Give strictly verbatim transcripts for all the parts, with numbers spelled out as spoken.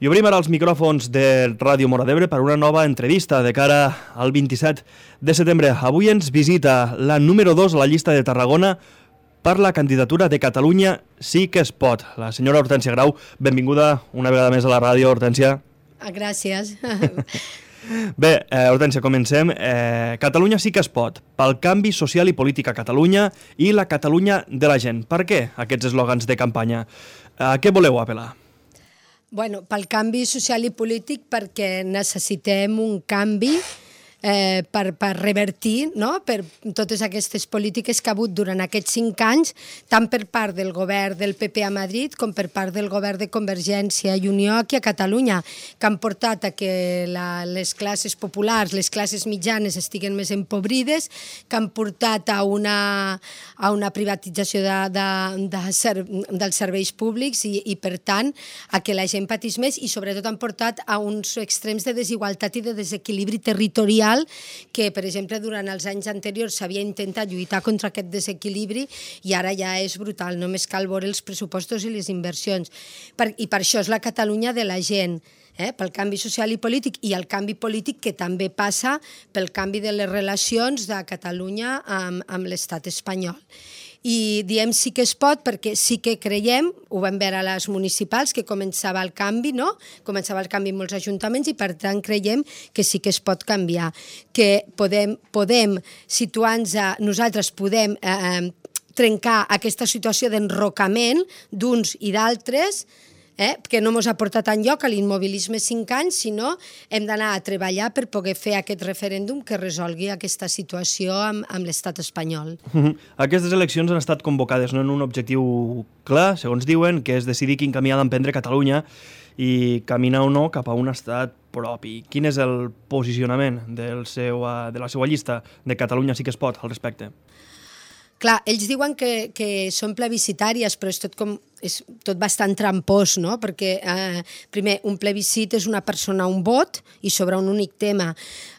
I obrim ara els micròfons de Ràdio Móra d'Ebre per una nova entrevista de cara al vint-i-set de setembre. Avui ens visita la número dos a la llista de Tarragona per la candidatura de Catalunya Sí que es pot. La senyora Hortènsia Grau, benvinguda una vegada més a la ràdio, Hortènsia. Gràcies. Bé, eh, Hortènsia, comencem. Eh, Catalunya sí que es pot, pel canvi social i polític a Catalunya i la Catalunya de la gent. Per què aquests eslògans de campanya? A què voleu apel·lar? Bueno, pel canvi social i polític, perquè necessitem un canvi eh, per, per revertir, no?, per totes aquestes polítiques que ha hagut durant aquests cinc anys, tant per part del govern del P P a Madrid com per part del govern de Convergència i Unió aquí a Catalunya, que han portat a que la, les classes populars, les classes mitjanes estiguen més empobrides, que han portat a una, a una privatització de, de, de ser, dels serveis públics i, i, per tant, a que la gent patís més i, sobretot, han portat a uns extrems de desigualtat i de desequilibri territorial que, per exemple, durant els anys anteriors s'havia intentat lluitar contra aquest desequilibri i ara ja és brutal, només cal veure els pressupostos i les inversions. Per, I per això és la Catalunya de la gent, eh? Pel canvi social i polític, i el canvi polític que també passa pel canvi de les relacions de Catalunya amb, amb l'estat espanyol. I diem sí que es pot perquè sí que creiem, ho vam veure a les municipals, que començava el canvi, no? Començava el canvi en molts ajuntaments i per tant creiem que sí que es pot canviar, que podem, podem situar-nos, nosaltres podem eh, trencar aquesta situació d'enrocament d'uns i d'altres, Eh, que no ens ha portat enlloc a l'immobilisme cinc anys, sinó hem d'anar a treballar per poder fer aquest referèndum que resolgui aquesta situació amb, amb l'estat espanyol. Uh-huh. Aquestes eleccions han estat convocades no en un objectiu clar, segons diuen, que és decidir quin camí ha d'emprendre Catalunya i caminar o no cap a un estat propi. Quin és el posicionament del seu, de la seva llista de Catalunya Sí que es pot al respecte? Clar, ells diuen que, que són plebiscitàries, però és tot com és tot bastant trampós, no? Perquè, eh, primer, un plebiscit és una persona, un vot, i sobre un únic tema.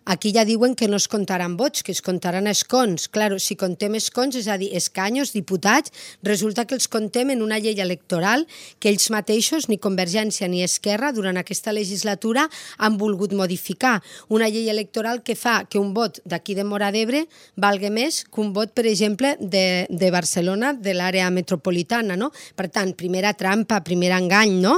Aquí ja diuen que no es comptaran vots, que es comptaran escons. Claro, si contem escons, és a dir, escanyos, diputats, resulta que els contem en una llei electoral que ells mateixos, ni Convergència ni Esquerra, durant aquesta legislatura han volgut modificar. Una llei electoral que fa que un vot d'aquí de Móra d'Ebre valgui més que un vot, per exemple, de, de Barcelona, de l'àrea metropolitana, no? Per tant, primera trampa, primer engany, no?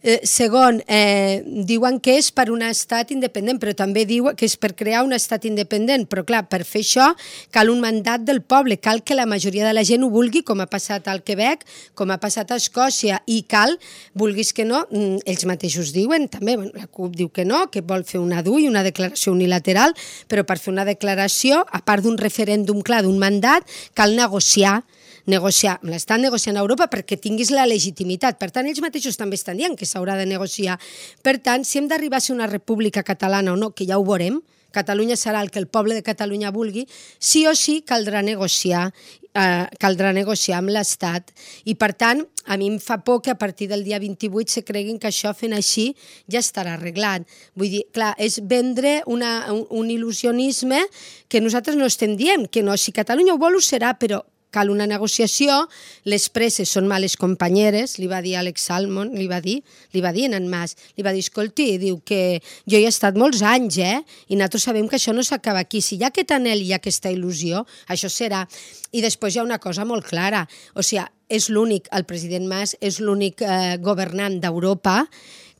Eh, segon, eh, diuen que és per un estat independent, però també diuen que és per crear un estat independent, però clar, per fer això cal un mandat del poble, cal que la majoria de la gent ho vulgui, com ha passat al Quebec, com ha passat a Escòcia, i cal, vulguis que no, ells mateixos diuen, també, la CUP diu que no, que vol fer una D U i una declaració unilateral, però per fer una declaració, a part d'un referèndum clar, d'un mandat, cal negociar, negociar, l'estan negociant a Europa perquè tinguis la legitimitat. Per tant, ells mateixos també estan dient que s'haurà de negociar. Per tant, si hem d'arribar a ser una república catalana o no, que ja ho veurem, Catalunya serà el que el poble de Catalunya vulgui, sí o sí caldrà negociar, eh, caldrà negociar amb l'Estat. I per tant, a mi em fa por que a partir del dia vint-i-vuit se creguin que això fent així ja estarà arreglat. Vull dir, clar, és vendre una, un, un il·lusionisme que nosaltres no estem dient, que no, si Catalunya ho vol ho serà, però cal una negociació, les presses són males companyeres, li va dir Alex Salmond, li va dir, li va dir en Mas, li va dir, escolti, diu que jo hi he estat molts anys, eh, i nosaltres sabem que això no s'acaba aquí, si hi ha aquest anhel i aquesta il·lusió, això serà. I després hi ha una cosa molt clara, o sigui, és l'únic, el president Mas és l'únic eh, governant d'Europa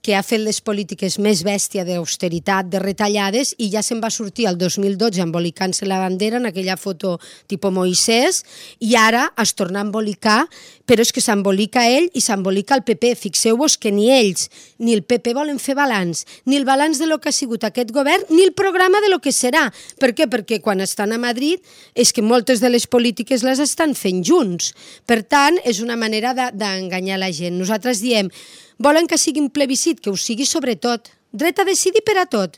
que ha fet les polítiques més bèstia d'austeritat, de retallades, i ja se'n va sortir el dos mil dotze embolicant-se la bandera en aquella foto tipus Moisès, i ara es torna a embolicar, però és que s'embolica ell i s'embolica el P P. Fixeu-vos que ni ells ni el P P volen fer balanç, ni el balanç de lo que ha sigut aquest govern, ni el programa de lo que serà. Per què? Perquè quan estan a Madrid és que moltes de les polítiques les estan fent junts. Per tant, és una manera d'enganyar la gent. Nosaltres diem, volen que sigui un plebiscit, que ho sigui sobretot. Dret a decidir per a tot.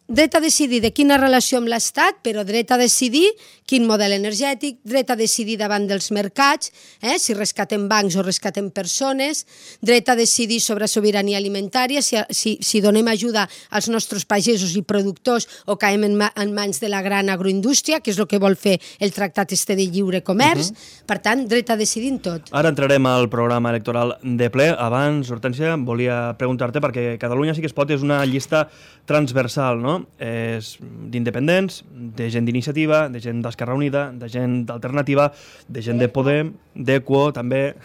dret a decidir de quina relació amb l'Estat, però dret a decidir quin model energètic, dret a decidir davant dels mercats, eh, si rescatem bancs o rescatem persones, dret a decidir sobre sobirania alimentària, si, si, si donem ajuda als nostres pagesos i productors o caiem en, ma, en mans de la gran agroindústria, que és el que vol fer el Tractat este de lliure comerç. Uh -huh. Per tant, dret a decidir en tot. Ara entrarem al programa electoral de ple. Abans, Hortència, volia preguntar-te, perquè Catalunya sí que es pot és una llista transversal, no? És d'independents, de gent d'iniciativa, de gent d'Esquerra Unida, de gent d'Alternativa, de gent de Podem, d'Equo, també.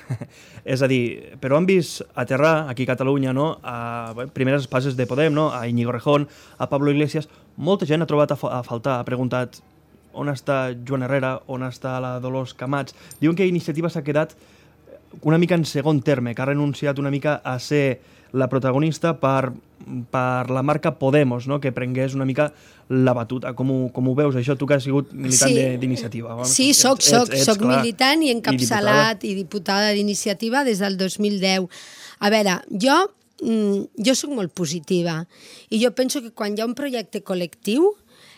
És a dir, però han vist aterrar aquí a Catalunya, no? A bé, primeres passes de Podem, no? A Íñigo Rejón, a Pablo Iglesias. Molta gent ha trobat a, fa a faltar, ha preguntat on està Joan Herrera, on està la Dolors Camats. Diuen que Iniciativa s'ha quedat una mica en segon terme, que ha renunciat una mica a ser la protagonista per, per la marca Podemos, no? Que prengués una mica la batuta. Com ho, com ho veus, això? Tu que has sigut militant sí. d'Iniciativa. Sí, soc, soc, ets, soc clar, militant i encapçalat i diputada, diputada d'Iniciativa des del dos mil deu. A veure, jo, jo soc molt positiva i jo penso que quan hi ha un projecte col·lectiu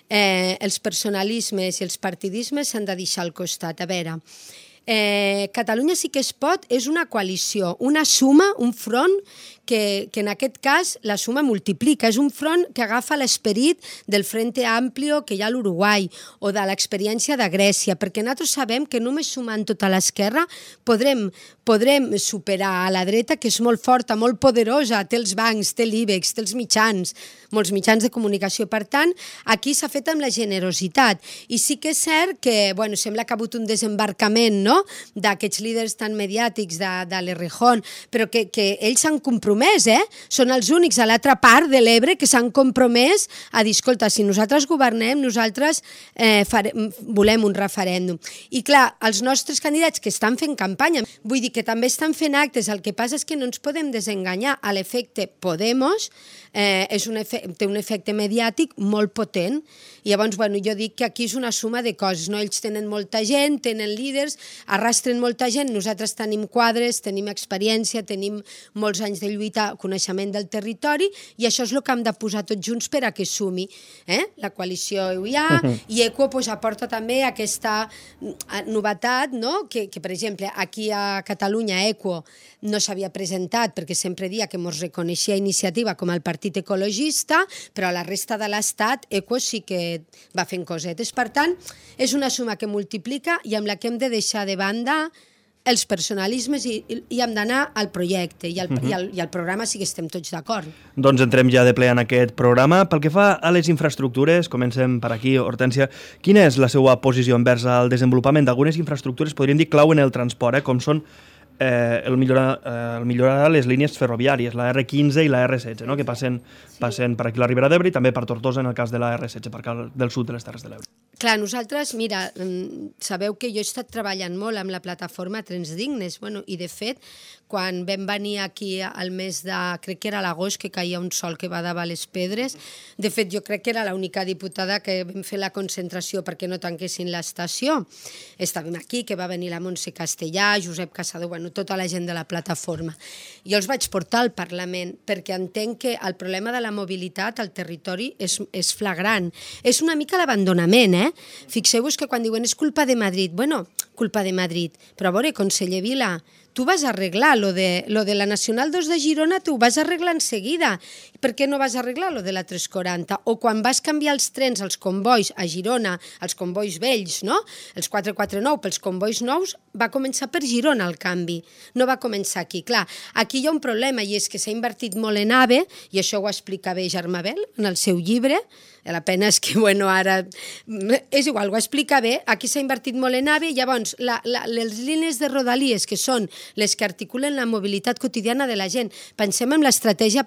eh, els personalismes i els partidismes s'han de deixar al costat. A veure, Eh, Catalunya sí que es pot és una coalició, una suma, un front que, que en aquest cas la suma multiplica. És un front que agafa l'esperit del Frente Amplio que hi ha a l'Uruguai o de l'experiència de Grècia, perquè nosaltres sabem que només sumant tota l'esquerra podrem, podrem superar a la dreta, que és molt forta, molt poderosa, té els bancs, té l'IBEX, té els mitjans, molts mitjans de comunicació. Per tant, aquí s'ha fet amb la generositat. I sí que és cert que, bueno, sembla que ha hagut un desembarcament, no?, d'aquests líders tan mediàtics de, de l'Errejón, però que, que ells s'han compromès, eh? Són els únics a l'altra part de l'Ebre que s'han compromès a dir, escolta, si nosaltres governem, nosaltres eh, farem, volem un referèndum. I clar, els nostres candidats que estan fent campanya, vull dir que també estan fent actes, el que passa és que no ens podem desenganyar. A l'efecte Podemos eh, és un efecte, té un efecte mediàtic molt potent. I llavors, bueno, jo dic que aquí és una suma de coses, no? Ells tenen molta gent, tenen líders, arrastren molta gent, nosaltres tenim quadres, tenim experiència, tenim molts anys de lluita, coneixement del territori, i això és el que hem de posar tots junts per a que sumi. Eh? La coalició hi ha, i Equo pues, aporta també aquesta novetat, no? que, que, per exemple, aquí a Catalunya Equo no s'havia presentat perquè sempre dia que ens reconeixia Iniciativa com el partit ecologista, però a la resta de l'Estat Equo sí que va fent cosetes. Per tant, és una suma que multiplica i amb la que hem de deixar de banda els personalismes i, i hem d'anar al projecte i al, uh -huh. i, al, i al programa sí que estem tots d'acord. Doncs entrem ja de ple en aquest programa. Pel que fa a les infraestructures, comencem per aquí, Hortència. Quina és la seva posició envers el desenvolupament d'algunes infraestructures, podríem dir clau en el transport, eh, com són eh, el, millorar, eh, el millorar les línies ferroviàries, la erre quinze i la erre setze, no? Que passen, passen per aquí la Ribera d'Ebre i també per Tortosa en el cas de la erre setze, per cal del sud de les Terres de l'Ebre. Clar, nosaltres, mira, sabeu que jo he estat treballant molt amb la plataforma Trens Dignes, bueno, i de fet, quan vam venir aquí al mes de, crec que era l'agost, que caia un sol que badava les pedres, de fet jo crec que era l'única diputada que vam fer la concentració perquè no tanquessin l'estació. Estàvem aquí, que va venir la Montse Castellà, Josep Casador, bueno, tota la gent de la plataforma. Jo els vaig portar al Parlament perquè entenc que el problema de la mobilitat al territori és, és flagrant. És una mica l'abandonament, eh? Fixeu-vos que quan diuen és culpa de Madrid, bueno, culpa de Madrid, però a veure, conseller Vila, tu vas arreglar lo de, lo de la Nacional dos de Girona, tu ho vas arreglar en seguida. Per què no vas arreglar lo de la tres quaranta? O quan vas canviar els trens, els convois a Girona, els convois vells, no? Els quatre quatre nou pels convois nous, va començar per Girona el canvi, no va començar aquí. Clar, aquí hi ha un problema i és que s'ha invertit molt en AVE, i això ho explica bé Germà Bel en el seu llibre, la pena és que, bueno, ara... És igual, ho explica bé, aquí s'ha invertit molt en AVE, llavors, la, la, les línies de Rodalies, que són les que articulen la mobilitat quotidiana de la gent. Pensem en l'estratègia,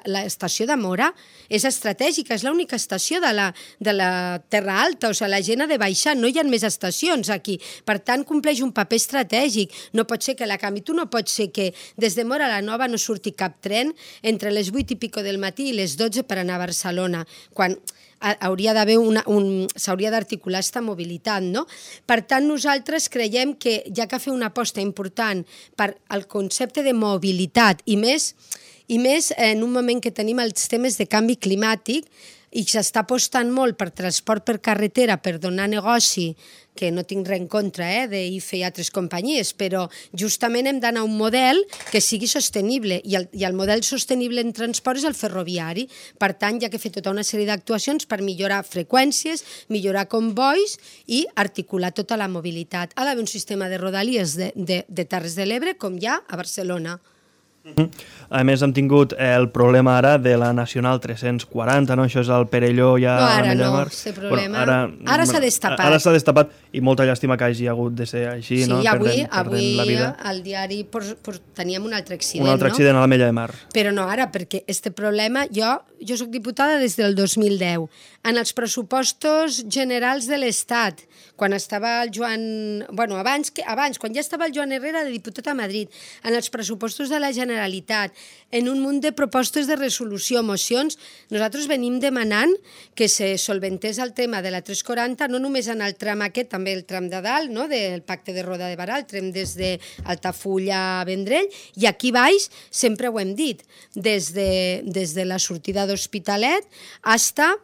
l'estació de Mora és estratègica, és l'única estació de la, de la Terra Alta, o sigui, la gent ha de baixar, no hi ha més estacions aquí. Per tant, compleix un paper estratègic. No pot ser que la canvi. Tu no pots ser que des de Mora a la Nova no surti cap tren entre les vuit i pico del matí i les dotze per anar a Barcelona, quan hauria d'haver una, un, s'hauria d'articular aquesta mobilitat, no? Per tant, nosaltres creiem que hi ha que fer una aposta important per al concepte de mobilitat i més, i més en un moment que tenim els temes de canvi climàtic. i s'està apostant molt per transport per carretera per donar negoci, que no tinc res en contra eh, d'I F E i altres companyies, però justament hem d'anar a un model que sigui sostenible, i el, i el model sostenible en transport és el ferroviari. Per tant, hi ha que fer tota una sèrie d'actuacions per millorar freqüències, millorar convois i articular tota la mobilitat. Ha d'haver un sistema de rodalies de, de, de Terres de l'Ebre com hi ha a Barcelona. A més, hem tingut el problema ara de la Nacional tres-cents quaranta, no? Això és el Perelló ja... No, ara no, aquest problema. Bueno, ara ara s'ha destapat. Ara s'ha destapat i molta llàstima que hagi hagut de ser així, sí, no? Sí, avui, perdent, avui perdent la vida. al diari pues, pues, teníem un altre accident, Un altre no? accident a la Mella de Mar. Però no ara, perquè este problema... Jo, jo soc diputada des del dos mil deu. En els pressupostos generals de l'Estat, quan estava el Joan... Bueno, abans, que, abans, quan ja estava el Joan Herrera de diputat a Madrid, en els pressupostos de la Generalitat, en un munt de propostes de resolució, mocions, nosaltres venim demanant que se solventés el tema de la tres quaranta, no només en el tram aquest, també el tram de dalt, no? Del pacte de Roda de Barà, el tram des d'Altafulla a Vendrell, i aquí baix sempre ho hem dit, des de, des de la sortida d'Hospitalet hasta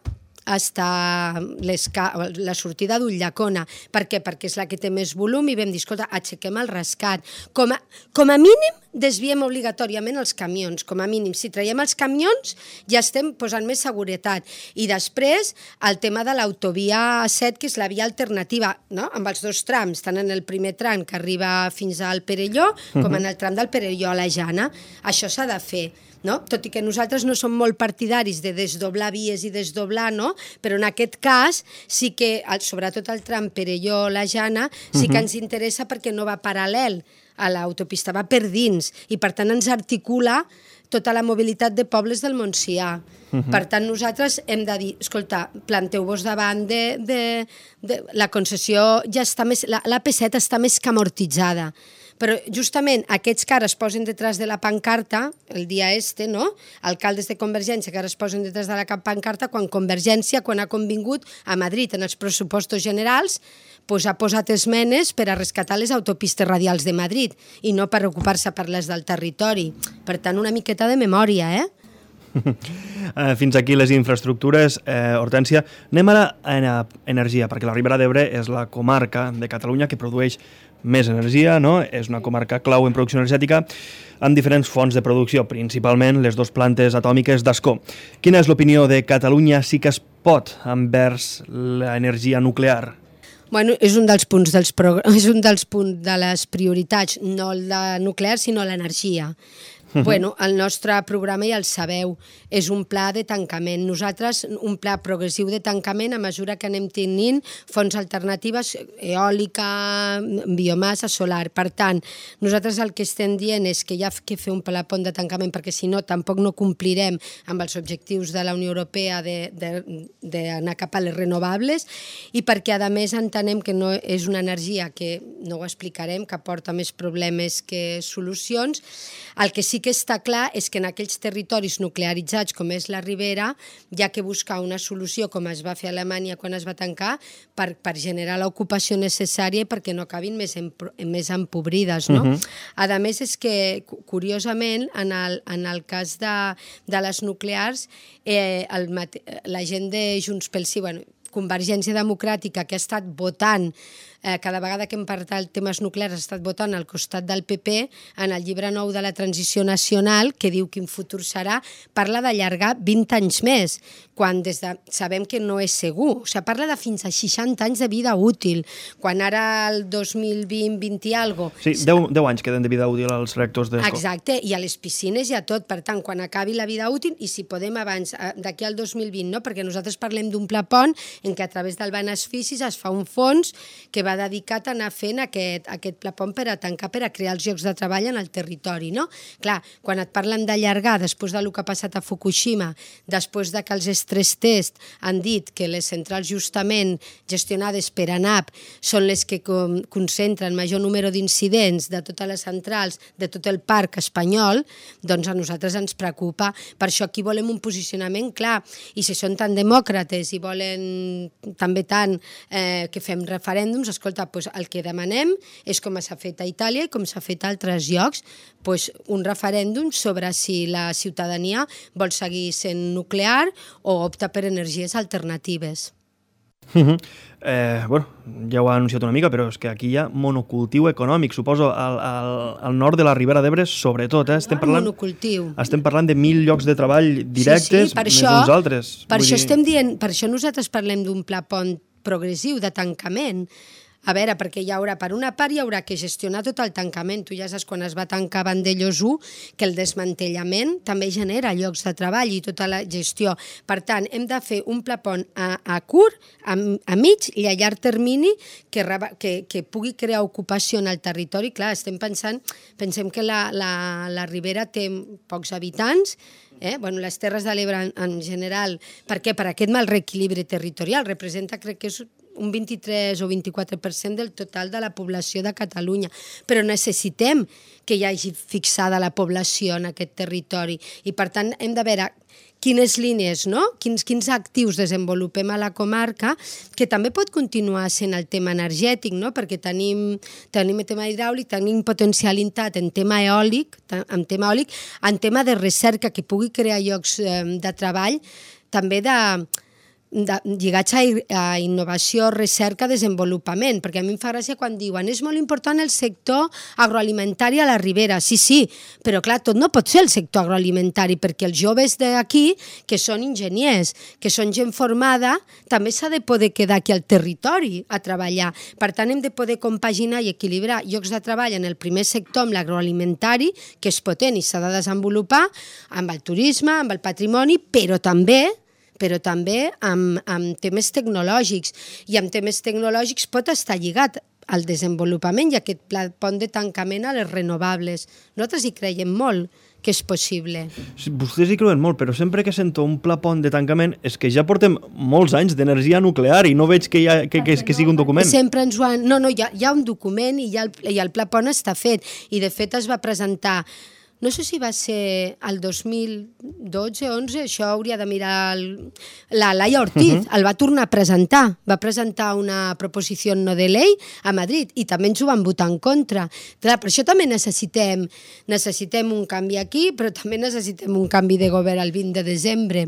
hasta la sortida d'Ullacona. Per què? Perquè és la que té més volum i vam dir, escolta, aixequem el rescat. Com a, com a mínim desviem obligatòriament els camions, com a mínim. Si traiem els camions ja estem posant més seguretat. I després el tema de l'autovia set, que és la via alternativa, no? Amb els dos trams, tant en el primer tram que arriba fins al Perelló com en el tram del Perelló a la Jana. Això s'ha de fer. No? Tot i que nosaltres no som molt partidaris de desdoblar vies i desdoblar, no? Però en aquest cas sí que, sobretot el tram Perelló-La Jana, sí que ens interessa perquè no va paral·lel a l'autopista, va per dins, i per tant ens articula tota la mobilitat de pobles del Montsià. Uh-huh. Per tant, nosaltres hem de dir, escolta, planteu-vos davant de, de, de... La concessió ja està més... La P set està més que amortitzada. Però justament aquests que ara es posen detrás de la pancarta, el dia este, no? Alcaldes de Convergència que ara es posen detrás de la pancarta, quan Convergència, quan ha convingut a Madrid en els pressupostos generals, pues ha posat esmenes per a rescatar les autopistes radials de Madrid i no per ocupar-se per les del territori. Per tant, una miqueta de memòria, eh? Fins aquí les infraestructures. Eh, Hortència, anem ara a energia, perquè la Ribera d'Ebre és la comarca de Catalunya que produeix més energia, no? És una comarca clau en producció energètica amb diferents fonts de producció, principalment les dues plantes atòmiques d'Ascó. Quina és l'opinió de Catalunya sí que es pot envers l'energia nuclear? Bueno, és un dels punts dels pro... és un dels punts de les prioritats, no la nuclear, sinó l'energia. Uh-huh. Bueno, el nostre programa ja el sabeu, és un pla de tancament. Nosaltres, un pla progressiu de tancament a mesura que anem tenint fonts alternatives, eòlica, biomassa, solar. Per tant, nosaltres el que estem dient és que hi ha que fer un pla pont de tancament, perquè si no, tampoc no complirem amb els objectius de la Unió Europea d'anar cap a les renovables, i perquè, a més, entenem que no és una energia que, no ho explicarem, que porta més problemes que solucions. El que sí que està clar és que en aquells territoris nuclearitzats com és la Ribera hi ha que buscar una solució, com es va fer a Alemanya quan es va tancar, per, per generar l'ocupació necessària perquè no acabin més, en, més empobrides. No? Uh-huh. A més, és que, curiosament, en el, en el cas de, de les nuclears, eh, el, la gent de Junts pel Sí, bueno, Convergència Democràtica, que ha estat votant eh, cada vegada que hem parlat temes nuclears ha estat votant al costat del P P en el llibre nou de la transició nacional, que diu quin futur serà, parla d'allargar vint anys més, quan des de, sabem que no és segur. O sigui, parla de fins a seixanta anys de vida útil, quan ara el dos mil vint, vint i algo... Sí, deu anys queden de vida útil als reactors d'Escó. Exacte, i a les piscines i a tot. Per tant, quan acabi la vida útil, i si podem abans, d'aquí al dos mil vint, no? Perquè nosaltres parlem d'un pla pont en què a través del beneficis es fa un fons que va dedicat a anar fent aquest, aquest pla pont per a tancar, per a crear els llocs de treball en el territori, no? Clar, quan et parlen d'allargar, després del que ha passat a Fukushima, després de que els stress test han dit que les centrals justament gestionades per ANAP són les que concentren major número d'incidents de totes les centrals, de tot el parc espanyol, doncs a nosaltres ens preocupa. Per això aquí volem un posicionament clar, i si són tan demòcrates i volen també tant eh, que fem referèndums, escolta, doncs el que demanem és com s'ha fet a Itàlia i com s'ha fet a altres llocs, doncs un referèndum sobre si la ciutadania vol seguir sent nuclear o opta per energies alternatives. Uh -huh. eh, bueno, ja ho ha anunciat una mica, però és que aquí hi ha monocultiu econòmic, suposo, al, al, al nord de la Ribera d'Ebre, sobretot. Eh? Estem, parlant, monocultiu. estem parlant de mil llocs de treball directes, sí, sí, per més això, uns altres. Per Vull això dir... estem dient, per això nosaltres parlem d'un pla pont progressiu de tancament. A veure, perquè hi haurà, per una part, hi haurà que gestionar tot el tancament. Tu ja saps, quan es va tancar Vandellòs u, que el desmantellament també genera llocs de treball i tota la gestió. Per tant, hem de fer un pla pont a, a curt, a, a mig i a llarg termini que, que, que pugui crear ocupació en el territori. Clar, estem pensant, pensem que la, la, la Ribera té pocs habitants, Eh? Bueno, les Terres de l'Ebre en, en general, per què? Per aquest mal reequilibri territorial, representa, crec que és un vint-i-tres o vint-i-quatre per cent del total de la població de Catalunya, però necessitem que hi hagi fixada la població en aquest territori i per tant hem de veure quines línies, no? quins, quins actius desenvolupem a la comarca, que també pot continuar sent el tema energètic, no? Perquè tenim, tenim el tema hidràulic, tenim potencialitat en tema eòlic, en tema eòlic, en tema de recerca que pugui crear llocs de treball, també de... De, lligats a, a innovació, recerca, desenvolupament, perquè a mi em fa gràcia quan diuen és molt important el sector agroalimentari a la Ribera. Sí, sí, però clar, tot no pot ser el sector agroalimentari, perquè els joves d'aquí, que són enginyers, que són gent formada, també s'ha de poder quedar aquí al territori a treballar. Per tant, hem de poder compaginar i equilibrar llocs de treball en el primer sector, amb l'agroalimentari, que és potent i s'ha de desenvolupar, amb el turisme, amb el patrimoni, però també però també amb, amb temes tecnològics. I amb temes tecnològics pot estar lligat al desenvolupament i aquest pla pont de tancament a les renovables. Nosaltres hi creiem molt que és possible. Sí, vostès hi creuen molt, però sempre que sento un pla pont de tancament és que ja portem molts anys d'energia nuclear i no veig que, hi ha, que, que, que sigui un document. Sempre ens ho han... No, no, hi ha, hi ha un document i, ja el, i el pla pont està fet. I de fet es va presentar... No sé si va ser el dos mil dotze o onze, això hauria de mirar el... la Laia Ortiz, uh -huh. el va tornar a presentar, va presentar una proposició no de llei a Madrid i també ens ho van votar en contra. Clar, per això també necessitem, necessitem un canvi aquí, però també necessitem un canvi de govern el vint de desembre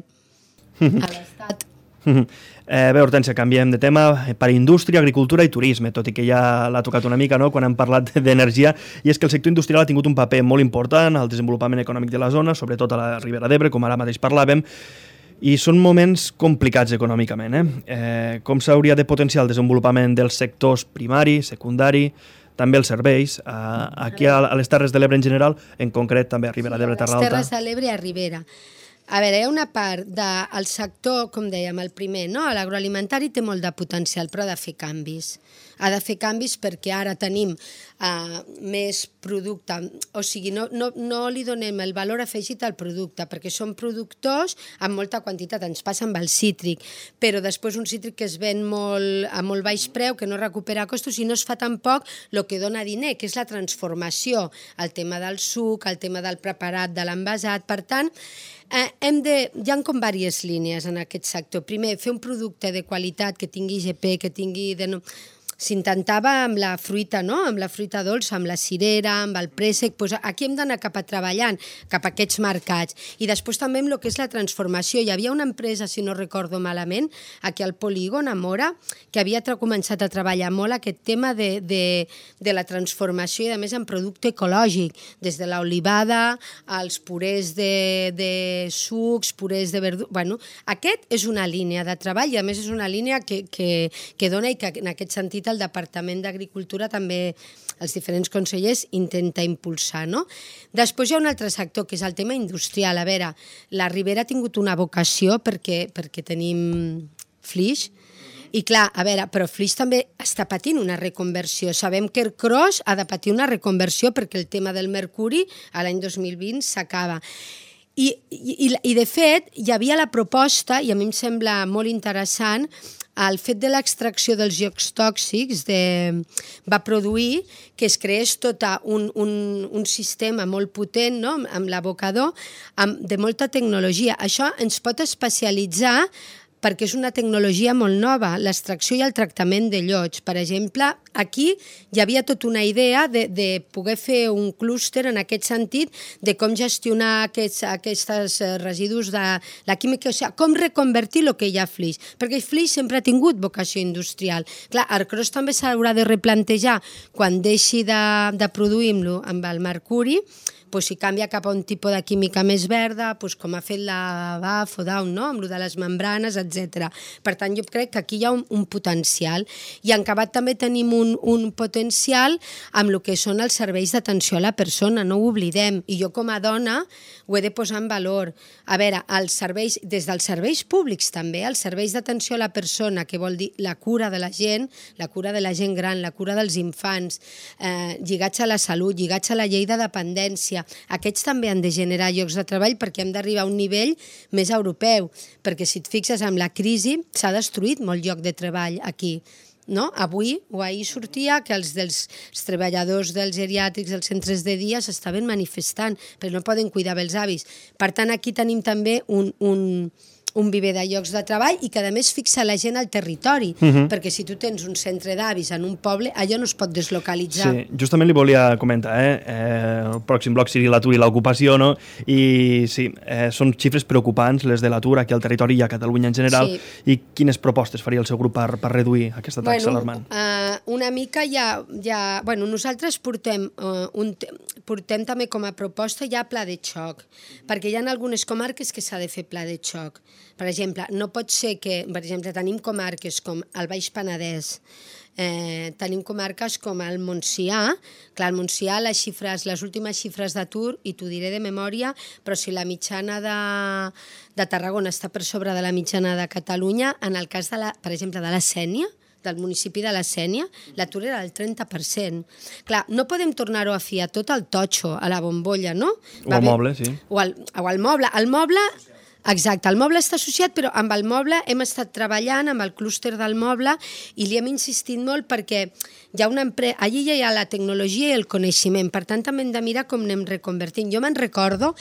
uh -huh. a l'Estat. Uh -huh. Eh, bé, Hortència, canviem de tema per indústria, agricultura i turisme, tot i que ja l'ha tocat una mica, no?, quan hem parlat d'energia, i és que el sector industrial ha tingut un paper molt important al desenvolupament econòmic de la zona, sobretot a la Ribera d'Ebre, com ara mateix parlàvem, i són moments complicats econòmicament. Eh? Eh, com s'hauria de potenciar el desenvolupament dels sectors primari, secundari, també els serveis, eh, aquí a les Terres de l'Ebre en general, en concret també a Ribera d'Ebre, Terra Alta. Les Terres de l'Ebre i a Ribera. A veure, hi ha una part del sector, com dèiem, el primer, no? L'agroalimentari té molt de potencial, però ha de fer canvis. Ha de fer canvis perquè ara tenim uh, més producte, o sigui, no, no, no li donem el valor afegit al producte, perquè són productors amb molta quantitat, ens passa amb el cítric, però després un cítric que es ven molt, a molt baix preu, que no recupera costos i no es fa tampoc el que dona diner, que és la transformació, el tema del suc, el tema del preparat, de l'envasat, per tant, Eh, hem de, hi ha com diverses línies en aquest sector. Primer, fer un producte de qualitat que tingui G P, que tingui... De... S'intentava amb la fruita, no? Amb la fruita dolça, amb la cirera, amb el préssec, doncs aquí hem d'anar cap a treballant, cap a aquests mercats. I després també amb el que és la transformació. Hi havia una empresa, si no recordo malament, aquí al Polígon, a Mora, que havia començat a treballar molt aquest tema de, de, de la transformació i, a més, en producte ecològic, des de l'olivada, als purés de, de sucs, purés de verdures... Bueno, aquest és una línia de treball i, a més, és una línia que, que, que dona i que, en aquest sentit, el Departament d'Agricultura també, els diferents consellers, intenta impulsar, no? Després hi ha un altre sector, que és el tema industrial. A veure, la Ribera ha tingut una vocació perquè, perquè tenim flix, i clar, a veure, però Flix també està patint una reconversió. Sabem que Ercros ha de patir una reconversió perquè el tema del mercuri a l'any dos mil vint s'acaba. I, i, I de fet hi havia la proposta, i a mi em sembla molt interessant, el fet de l'extracció dels llocs tòxics de, va produir que es creés tot un, un, un sistema molt potent, no?, amb l'abocador, de molta tecnologia. Això ens pot especialitzar perquè és una tecnologia molt nova, l'extracció i el tractament de llots. Per exemple, aquí hi havia tota una idea de, de poder fer un clúster en aquest sentit de com gestionar aquests, aquests residus de la química, o sigui, com reconvertir el que hi ha a Flix, perquè Flix sempre ha tingut vocació industrial. Clar, Ercros també s'haurà de replantejar quan deixi de, de produir-lo amb el mercuri, pues, si canvia cap a un tipus de química més verda, pues, com ha fet la B A F o Down, no? Amb lo de les membranes, etcètera. Per tant, jo crec que aquí hi ha un, un potencial. I en Cabat també tenim un, un potencial amb el que són els serveis d'atenció a la persona, no ho oblidem. I jo com a dona ho he de posar en valor. A veure, els serveis, des dels serveis públics també, els serveis d'atenció a la persona, que vol dir la cura de la gent, la cura de la gent gran, la cura dels infants, eh, lligats a la salut, lligats a la llei de dependència, aquests també han de generar llocs de treball perquè hem d'arribar a un nivell més europeu, perquè si et fixes amb la crisi s'ha destruït molt lloc de treball aquí. No? Avui o ahir sortia que els, dels, els treballadors dels geriàtrics dels centres de dia s'estaven manifestant, però no poden cuidar bé els avis. Per tant, aquí tenim també un... un un viver de llocs de treball i que a més fixa la gent al territori, uh-huh. perquè si tu tens un centre d'avis en un poble, allò no es pot deslocalitzar. Sí, justament li volia comentar, eh? eh el pròxim bloc seria l'atur i l'ocupació, no? I sí, eh, són xifres preocupants les de l'atur aquí al territori i a Catalunya en general, sí. I quines propostes faria el seu grup per, per reduir aquesta taxa bueno, alarmant? Uh, una mica ja, ja... Bueno, nosaltres portem, uh, un, portem també com a proposta ja pla de xoc, perquè hi ha algunes comarques que s'ha de fer pla de xoc. Per exemple, no pot ser que, per exemple, tenim comarques com el Baix Penedès, eh, tenim comarques com el Montsià. Clar, el Montsià, les xifres, les últimes xifres d'atur, i t'ho diré de memòria, però si la mitjana de, de Tarragona està per sobre de la mitjana de Catalunya, en el cas, de la, per exemple, de la Sénia, del municipi de la Sénia, l'atur era del trenta per cent. Clar, no podem tornar-ho a fiar tot al totxo, a la bombolla, no? O al moble, sí. O al, o al moble. El moble... Exacte, el moble està associat, però amb el moble hem estat treballant, amb el clúster del moble, i li hem insistit molt perquè hi ha una empresa, allí ja hi ha la tecnologia i el coneixement, per tant també hem de mirar com anem reconvertint. Jo me'n recordo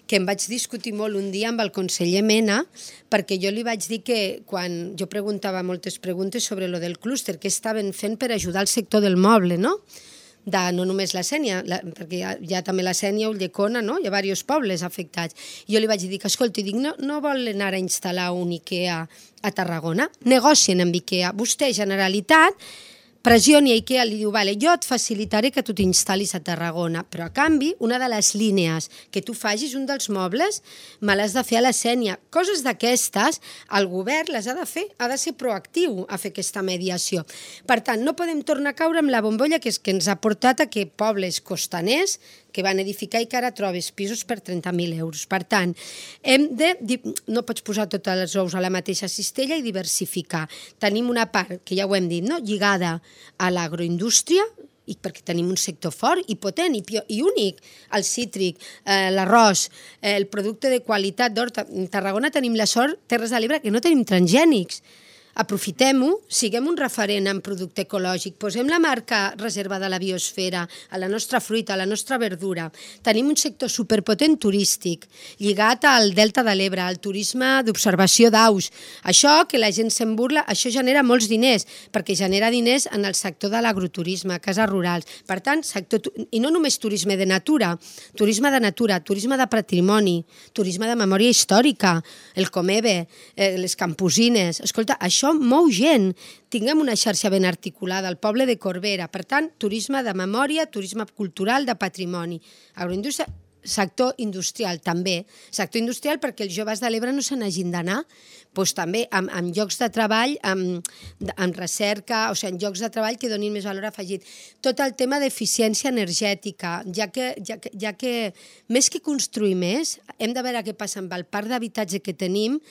que em vaig discutir molt un dia amb el conseller Mena, perquè jo li vaig dir que quan jo preguntava moltes preguntes sobre lo del clúster, què estaven fent per ajudar el sector del moble, no? De, no només la Sénia, la, perquè hi ha, hi ha també la Sénia, Ulldecona, no? Hi ha diversos pobles afectats. I jo li vaig dir que, escolta, dic, no, no volen anar a instal·lar un IKEA a Tarragona? Negocien amb IKEA. Vostè, Generalitat, pressioni a IKEA, li diu, vale, jo et facilitaré que tu t'instal·lis a Tarragona, però a canvi, una de les línies que tu facis, un dels mobles, me l'has de fer a la Sénia. Coses d'aquestes, el govern les ha de fer, ha de ser proactiu a fer aquesta mediació. Per tant, no podem tornar a caure amb la bombolla que, és que ens ha portat a que pobles costaners que van edificar i que ara trobes pisos per trenta mil euros. Per tant, hem de, no pots posar tots els ous a la mateixa cistella i diversificar. Tenim una part, que ja ho hem dit, no? Lligada a l'agroindústria, i perquè tenim un sector fort i potent i, i únic, el cítric, eh, l'arròs, eh, el producte de qualitat d'horta. En Tarragona tenim la sort, Terres de l'Ebre, que no tenim transgènics. Aprofitem-ho, siguem un referent en producte ecològic, posem la marca reserva de la biosfera a la nostra fruita, a la nostra verdura. Tenim un sector superpotent turístic, lligat al Delta de l'Ebre, al turisme d'observació d'aus. Això, que la gent se'n burla, això genera molts diners, perquè genera diners en el sector de l'agroturisme, cases rurals. Per tant, sector, i no només turisme de natura, turisme de natura, turisme de patrimoni, turisme de memòria històrica, el Comebe, eh, les camposines. Escolta, això mou gent. Tinguem una xarxa ben articulada, el poble de Corbera. Per tant, turisme de memòria, turisme cultural, de patrimoni. Agroindústria, sector industrial també. Sector industrial perquè els joves de l'Ebre no se n'hagin d'anar, doncs també amb, amb llocs de treball, amb, amb recerca, o sigui, en llocs de treball que donin més valor afegit. Tot el tema d'eficiència energètica, ja que, ja, que, ja que més que construir més, hem de veure què passa amb el parc d'habitatge que tenim,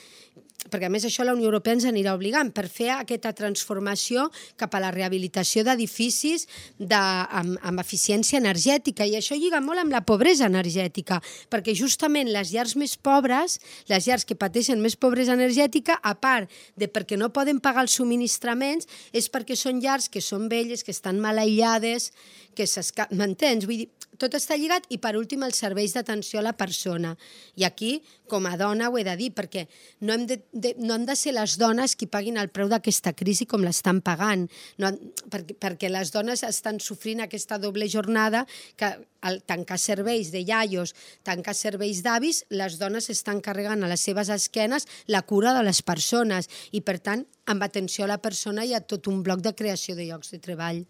perquè a més això la Unió Europea ens anirà obligant per fer aquesta transformació cap a la rehabilitació d'edificis de, amb, amb eficiència energètica, i això lliga molt amb la pobresa energètica, perquè justament les llars més pobres, les llars que pateixen més pobresa energètica, a part de perquè no poden pagar els subministraments, és perquè són llars que són velles, que estan mal aïllades, que s'escapen, m'entens? Vull dir, tot està lligat, i per últim els serveis d'atenció a la persona. I aquí, com a dona, ho he de dir, perquè no hem de, de, no hem de ser les dones qui paguin el preu d'aquesta crisi com l'estan pagant, no, perquè, perquè les dones estan sofrint aquesta doble jornada, que al tancar serveis de iaios, tancar serveis d'avis, les dones estan carregant a les seves esquenes la cura de les persones, i per tant, amb atenció a la persona hi ha tot un bloc de creació de llocs de treball.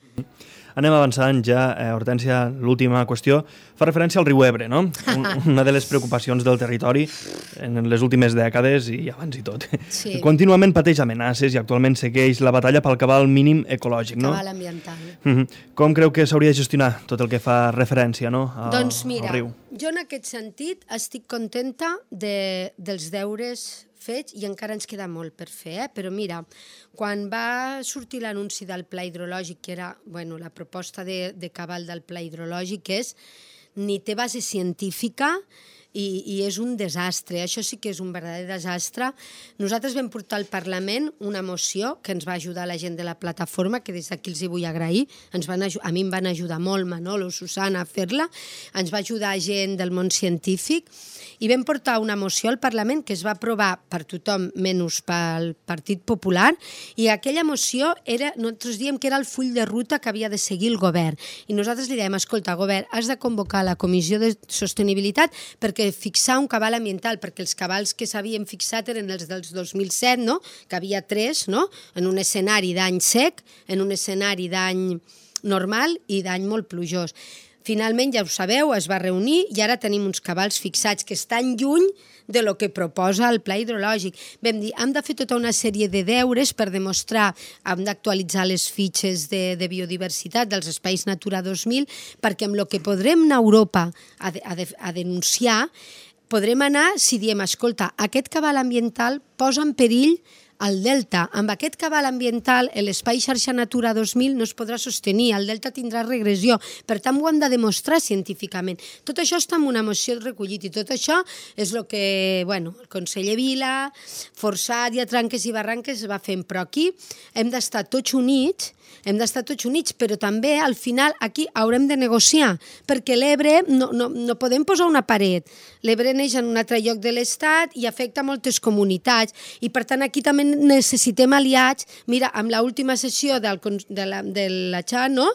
Anem avançant ja, eh, Hortènsia, l'última qüestió fa referència al riu Ebre, no? Una de les preocupacions del territori en les últimes dècades i abans i tot. Sí. Contínuament pateix amenaces i actualment segueix la batalla pel cabal mínim ecològic, no? Cabal ambiental. Uh-huh. Com creu que s'hauria de gestionar tot el que fa referència, no? A, doncs mira, al riu? Jo en aquest sentit estic contenta de, dels deures fets, i encara ens queda molt per fer, eh? Però mira, quan va sortir l'anunci del pla hidrològic, que era, bueno, la proposta de, de cabal del pla hidrològic, és ni té base científica i, i és un desastre. Això sí que és un verdader desastre. Nosaltres vam portar al Parlament una moció que ens va ajudar la gent de la plataforma, que des d'aquí els hi vull agrair. Ens van, a mi em van ajudar molt, Manolo, Susana, a fer-la. Ens va ajudar gent del món científic, i vam portar una moció al Parlament que es va aprovar per tothom menys pel Partit Popular, i aquella moció era, nosaltres diem que era el full de ruta que havia de seguir el govern, i nosaltres li dèiem, escolta, govern, has de convocar la Comissió de Sostenibilitat perquè fixar un cabal ambiental, perquè els cabals que s'havien fixat eren els dels dos mil set, no? Que havia tres, no? En un escenari d'any sec, en un escenari d'any normal i d'any molt plujós. Finalment, ja ho sabeu, es va reunir i ara tenim uns cabals fixats que estan lluny de lo que proposa el pla hidrològic. Vam dir, hem de fer tota una sèrie de deures per demostrar, hem d'actualitzar les fitxes de, de biodiversitat dels espais Natura dos mil, perquè amb el que podrem anar a Europa a, de, a, de, a denunciar, podrem anar si diem, escolta, aquest cabal ambiental posa en perill el delta. Amb aquest cabal ambiental, l'espai xarxa Natura dos mil no es podrà sostenir, el delta tindrà regressió, per tant ho hem de demostrar científicament. Tot això està en una moció recollit, i tot això és el que, bueno, el conseller Vila, forçat i a tranques i barranques va fent, però aquí hem d'estar tots units, hem d'estar tots units, però també al final aquí haurem de negociar, perquè l'Ebre no, no, no podem posar una paret. L'Ebre neix en un altre lloc de l'Estat i afecta moltes comunitats, i per tant aquí també necessitem aliats. Mira, amb l'última sessió del, de la, de la X A, no?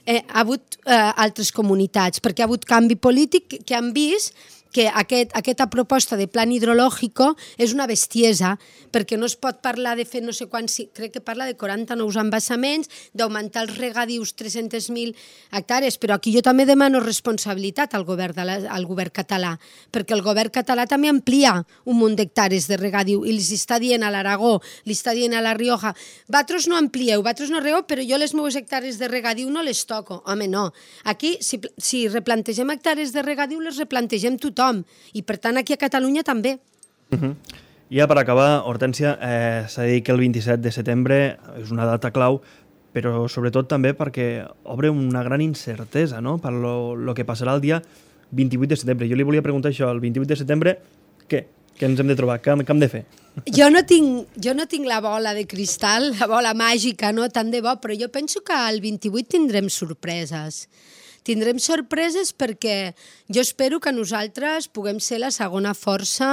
eh, ha hagut eh, altres comunitats, perquè ha hagut canvi polític que han vist que aquest, aquesta proposta de plan hidrològico és una bestiesa, perquè no es pot parlar de fer no sé quants, crec que parla de quaranta nous embassaments, d'augmentar els regadius tres-centes mil hectàrees, però aquí jo també demano responsabilitat al govern, de la, al govern català, perquè el govern català també amplia un munt d'hectàrees de regadiu i li està dient a l'Aragó, li està dient a la Rioja, vosaltres no amplieu, vosaltres no regeu, però jo les meves hectàrees de regadiu no les toco. Home, no. Aquí, si, si replantegem hectàrees de regadiu, les replantegem tothom, i per tant aquí a Catalunya també. Uh-huh. Ja per acabar, Hortènsia, eh, s'ha dit que el vint-i-set de setembre és una data clau, però sobretot també perquè obre una gran incertesa, no?, per lo, lo que passarà el dia vint-i-vuit de setembre. Jo li volia preguntar això, el vint-i-vuit de setembre, què? Què ens hem de trobar? Què, què hem de fer? Jo no tinc, jo no tinc la bola de cristal, la bola màgica, no?, tant de bo, però jo penso que el vint-i-vuit tindrem sorpreses. Tindrem sorpreses perquè jo espero que nosaltres puguem ser la segona força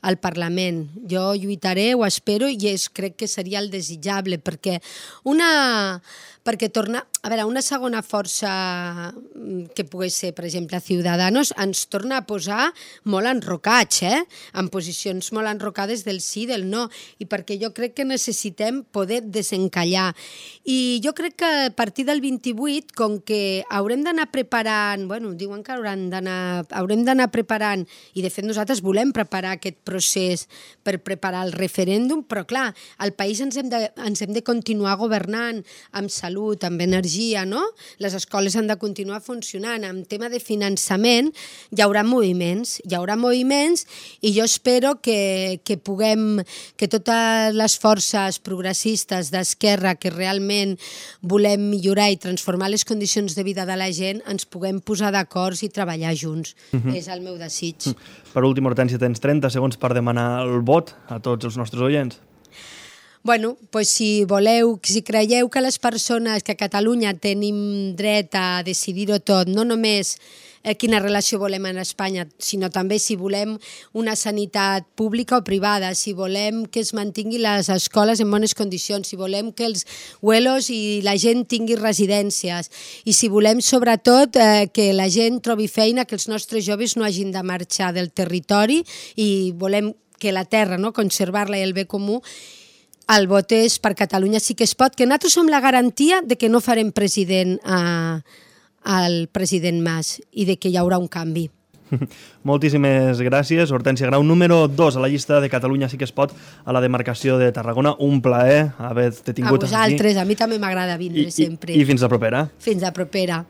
al Parlament. Jo lluitaré, ho espero, i és, crec que seria el desitjable, perquè una... perquè torna... A veure, una segona força que pogués ser, per exemple, Ciudadanos, ens torna a posar molt enrocats, eh? En posicions molt enrocades del sí i del no, i perquè jo crec que necessitem poder desencallar. I jo crec que a partir del vint-i-vuit, com que haurem d'anar preparant, bueno, diuen que hauran d'anar, haurem d'anar preparant, i de fet nosaltres volem preparar aquest procés per preparar el referèndum, però clar, al país ens hem de, ens hem de continuar governant amb salut, amb energia, no? Les escoles han de continuar funcionant. En tema de finançament hi haurà moviments, hi haurà moviments i jo espero que, que puguem, que totes les forces progressistes d'esquerra que realment volem millorar i transformar les condicions de vida de la gent ens puguem posar d'acord i treballar junts. Uh-huh. És el meu desig. Per últim, Hortènsia, tens trenta segons per demanar el vot a tots els nostres oients. Bueno, pues si voleu, si creieu que les persones que a Catalunya tenim dret a decidir-ho tot, no només eh, quina relació volem en Espanya, sinó també si volem una sanitat pública o privada, si volem que es mantinguin les escoles en bones condicions, si volem que els huelos i la gent tingui residències, i si volem sobretot eh, que la gent trobi feina, que els nostres joves no hagin de marxar del territori, i volem que la terra, no, conservar-la i el bé comú, el vot és per Catalunya sí que es pot, que nosaltres som la garantia de que no farem president a, al president Mas i de que hi haurà un canvi. Moltíssimes gràcies, Hortènsia Grau, número dos a la llista de Catalunya sí que es pot a la demarcació de Tarragona. Un plaer haver-te tingut aquí. A vosaltres, a mi també m'agrada vindre I, sempre. I, I fins la propera. Fins la propera.